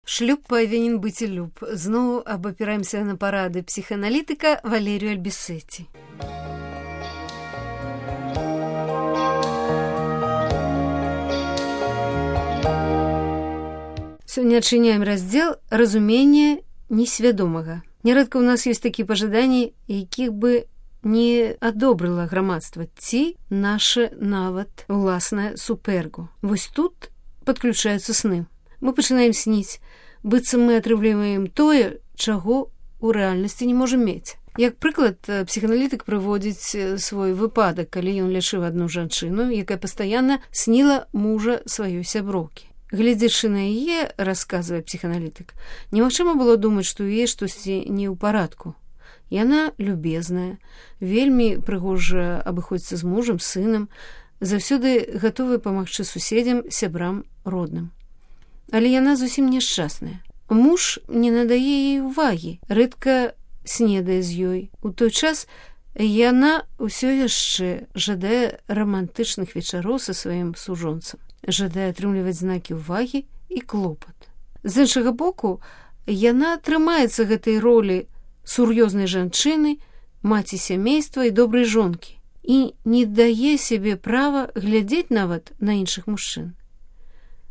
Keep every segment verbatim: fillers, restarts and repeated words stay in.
Шлюб павінен быць і люб. Зноў абапіраемся на парады псіхааналітыка Валерію Альбісеці. Сёння адчыняем раздзел «Разуменне несвядомага». Нярэдка ў нас ёсць такія пажаданні, якіх бы не адобрыла грамадства ці наше нават уласнае суперго. Вось тут падключаюцца сны. Мы пачынаем сніць, быццам мы атрымліваем тое, чаго ў рэальнасці не можам мець. Як прыклад, псіхааналітык прыводзіць свой выпадак, калі ён лячыў адну жанчыну, якая пастаянна сніла мужа сваёй сяброўкі. Гледзячы на яе, расказвае псіхааналітык, немагчыма было думаць, што ў яе штосьці не ў парадку. Яна любезная, вельмі прыгожа абыходзіцца з мужам, сынам, заўсёды гатовая памагчы суседзям, сябрам, родным. Але яна зусім няшчасная. Муж не надае ей увагі, рэдка снедае з ёй. У той час яна ўсё яшчэ жадае рамантычных вечароў са сваім сужонцам, жадае атрымліваць знакі ўвагі і клопат. З іншага боку, яна трымаецца гэтай ролі сур'ёзнай жанчыны, маці сямейства і добрай жонкі і не дае сябе права глядзець нават на іншых мужчын.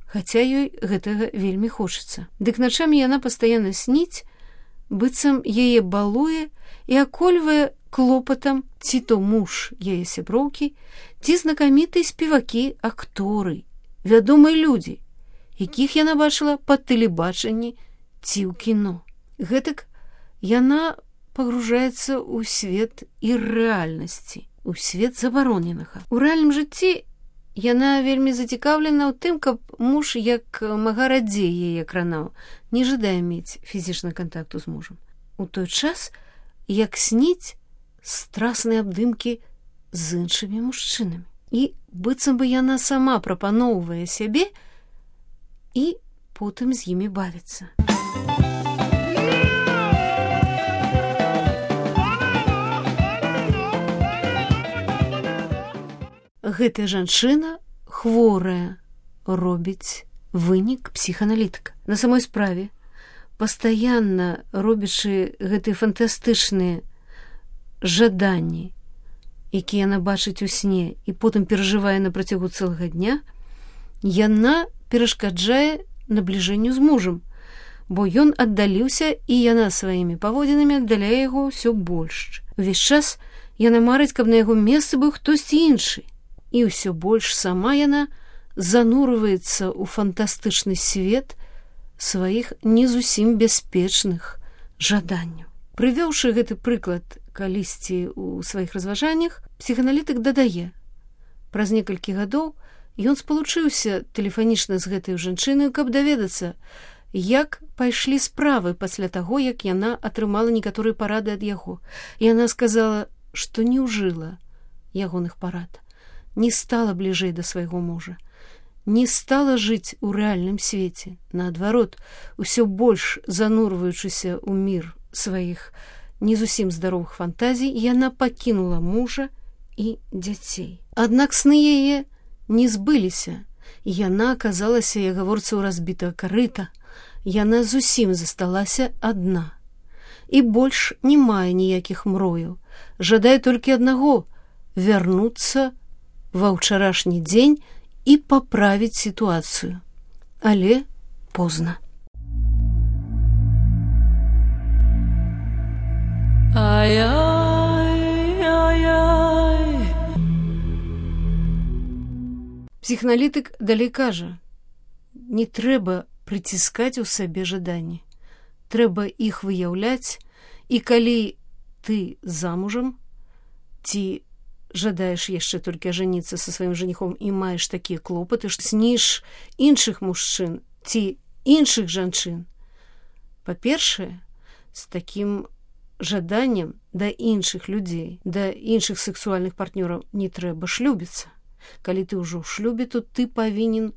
Хаця ёй гэтага вельмі хочацца. Дык начамі яна пастаянна сніць, быццам яе балуе і акольвае клопатам ці то муж яе сяброўкі, ці знакамітыя спевакі, акторы, вядомыя людзі, якіх яна бачыла па тэлебачанні ці ў кіно. Гэтак яна пагружаецца ў свет іррэальнасці, у свет забароненага. У рэальным жыцці яна вельмі зацікаўлена ў тым, каб муж як мага радзей яе кранаў, не жадае мець фізічны кантакту з мужам. У той час, як сніць страсныя абдымкі з іншымі мужчынамі. І быццам бы яна сама прапаноўвае сябе і потым з імі бавіцца. Гэтая жанчына хворая робіць вынік псіхааналітыка. На самой справе, пастаянна робячы гэтыя фантастычныя жаданні, якія яна бачыць у сне і потым перажывае на працягу цэлага дня, яна перашкаджае набліжэнню з мужам, бо ён аддаліўся і яна сваімі паводзінамі аддаляе яго ўсё больш. Увесь час яна марыць, каб на яго месцы быў хтосьці іншы. І ўсё больш сама яна занурваецца ў фантастычны свет сваіх не зусім бяспечных жаданняў. Прывёўшы гэты прыклад калісьці ў сваіх разважаннях, псіхааналітык дадае: праз некалькі гадоў ён спалучыўся тэлефанічна з гэтай жанчынай, каб даведацца, як пайшлі справы пасля таго, як яна атрымала некаторыя парады ад яго. Яна сказала, што не ўжыла ягоных парад, не стала бліжэй да свайго мужа, не стала жыць у рэальным свеце. Наадварот, усё больш занурваючыся ў мір сваіх не зусім здаровых фантазій, яна пакінула мужа і дзяцей. Аднак сны яе не збыліся, і яна аказалася, як гаворыцца, ў разбітага карыта. Яна зусім засталася адна. І больш не мае ніякіх мрояў, жадае толькі аднаго — вярнуцца ва ўчарашні дзень і паправіць сітуацыю. Але позна. Псіхааналітык далей кажа: не трэба прыціскаць у сабе жаданні. Трэба іх выяўляць, і калі ты замужам ці жадаеш яшчэ толькі ажаніцца са сваім жаніхом і маеш такія клопаты, што сніш іншых мужчын ці іншых жанчын, па-першае, з такім жаданнем да іншых людзей, да іншых сексуальных партнёраў не трэба шлюбіцца. Калі ты ўжо ў шлюбе, то ты павінен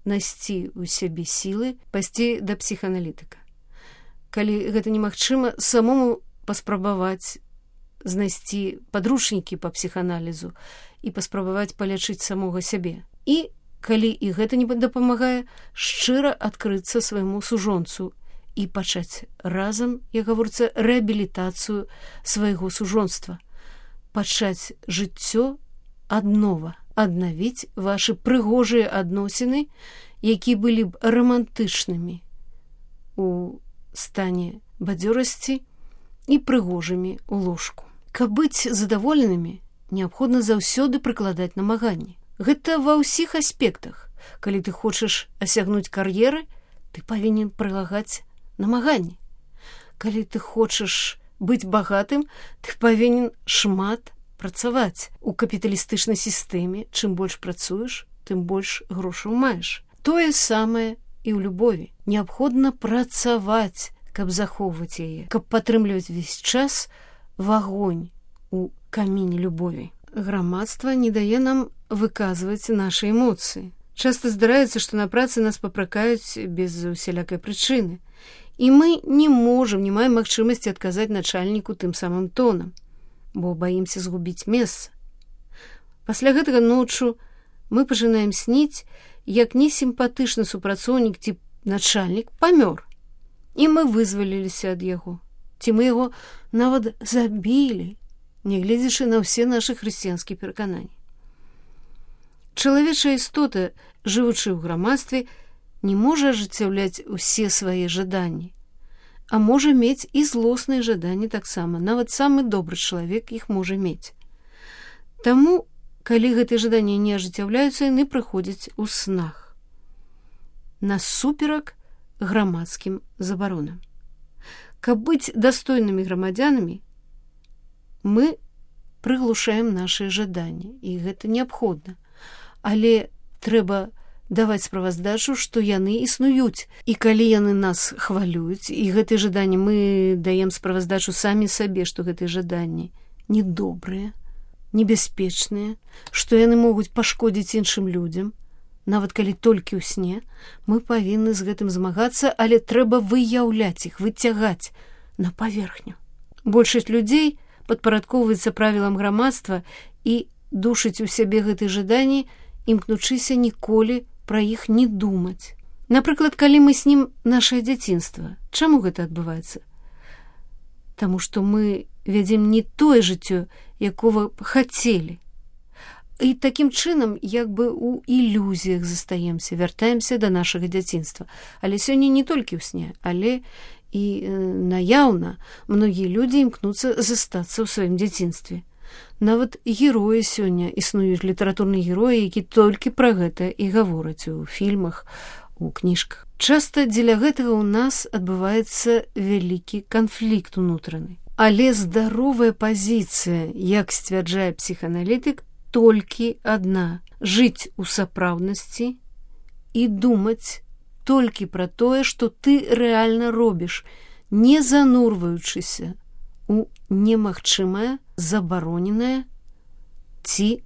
насці ў сябе сілы пайсці да псіхааналітыка. Калі гэта немагчыма, самому паспрабаваць знайсці падручнікі па псіхааналізу і паспрабаваць палячыць самога сябе. І калі і гэта не дапамагае, шчыра адкрыцца свайму сужонцу і пачаць разам, як гаворыцца, рэабілітацыю свайго сужонства, пачаць жыццё аднова, аднавіць вашы прыгожыя адносіны, якія былі б рамантычнымі у стане бадзёрасці і прыгожымі ў ложку. Каб быць задаволенымі, неабходна заўсёды прыкладаць намаганні. Гэта ва ўсіх аспектах. Калі ты хочаш асягнуць кар'еры, ты павінен прылагаць намаганні. Калі ты хочаш быць багатым, ты павінен шмат працаваць. У капіталістычнай сістэме чым больш працуеш, тым больш грошаў маеш. Тое самае і ў любові. Неабходна працаваць, каб захоўваць яе, каб падтрымліваць увесь час вагонь у каміне любові. Грамадства не дае нам выказваць нашы эмоцыі. Часта здараецца, што на працы нас папракаюць без усялякай прычыны. І мы не можам, не маем магчымасці адказаць начальніку тым самым тонам, бо баімся згубіць месца. Пасля гэтага ноччу мы пачынаем сніць, як несімпатычны супрацоўнік ці начальнік памёр. І мы вызваліліся ад яго. Ці мы яго нават забілі, нягледзячы на ўсе нашы хрысціянскія перакананні. Чалавечая істота, жывучы ў грамадстве, не можа ажыццяўляць усе свае жаданні, а можа мець і злосныя жаданні таксама. Нават самы добры чалавек іх можа мець. Таму, калі гэтыя жаданні не ажыццяўляюцца, яны прыходзяць у снах, насуперак грамадскім забаронам. Каб быць дастойнымі грамадзянамі, мы прыглушаем нашыя жаданні, і гэта неабходна. Але трэба даваць справаздачу, што яны існуюць. І калі яны нас хвалююць, і гэтыя жаданні мы даем справаздачу самі сабе, што гэтыя жаданні недобрыя, небяспечныя, што яны могуць пашкодзіць іншым людзям, нават калі толькі ў сне, мы павінны з гэтым змагацца, але трэба выяўляць іх, выцягаць на паверхню. Большасць людзей падпарадкоўваецца правілам грамадства і душыць у сябе гэтыя жаданні, імкнучыся ніколі пра іх не думаць. Напрыклад, калі мы снім нашае дзяцінства, чаму гэта адбываецца? Таму што мы вядзем не тое жыццё, якога б хацелі. І такім чынам, як бы у ілюзіях застаемся, вяртаемся да нашага дзяцінства. Але сёння не толькі ў сне, але і э, наяўна многія людзі імкнуцца застацца ў сваім дзяцінстве. Нават героі сёння існуюць, літаратурныя героі, які толькі пра гэта і гавораць у фільмах, у кніжках. Часта дзеля гэтага ў нас адбываецца вялікі канфлікт унутраны. Але здаровая пазіцыя, як сцвярджае псіхааналітык, толькі адна – жыць у сапраўднасці і думаць толькі пра тое, што ты рэальна робіш, не занурваючыся у немагчымае, забароненае ці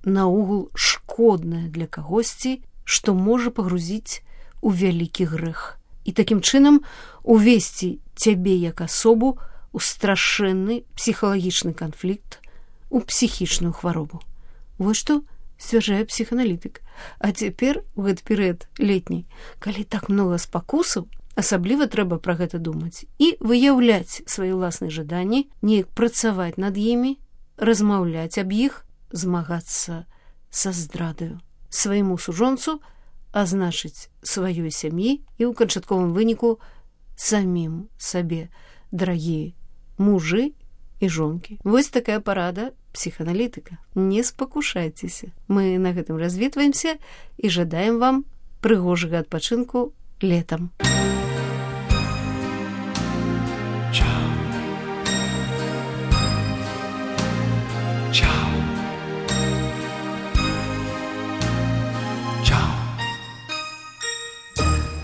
наогул шкоднае для кагосьці, што можа пагрузіць у вялікі грэх. І такім чынам увесці цябе як асобу у страшэнны псіхалагічны канфлікт, у псіхічную хваробу. Вось што сцвярджае псіхааналітык. А цяпер, у гэты перыяд летні, калі так многа спакусаў, асабліва трэба пра гэта думаць і выяўляць свае ўласныя жаданні, неяк працаваць над імі, размаўляць аб іх, змагацца са здрадаю свайму сужонцу, а значыць сваёй сям'і і ў канчатковым выніку самім сабе, дарагія мужы і жонкі. Вось такая парада псіхааналітыка. Не спакушайцеся. Мы на гэтым развітваемся і жадаем вам прыгожага адпачынку летам. Ciao. Ciao.